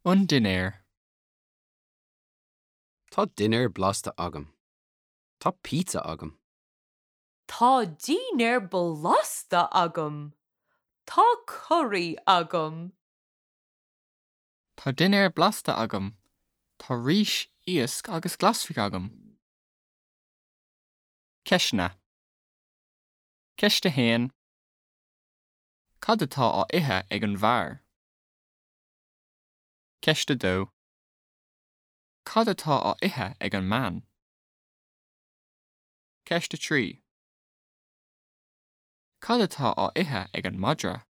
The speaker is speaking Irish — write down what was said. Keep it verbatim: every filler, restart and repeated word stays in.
An dinnéar. Tá dinnéar blasta agam. Tá pizza agam. Tá dinnéar blasta agam. Tá curaí agam. Tá dinnéar blasta agam. Tá rís, iasc agus glasraí agam. Ceisteanna. Ceist a haon. Cad atá á ithe ag an bhfear? Ceist a dó. Cad atá á ithe ag an mbean? Ceist a trí. Cad atá á ithe ag an madra?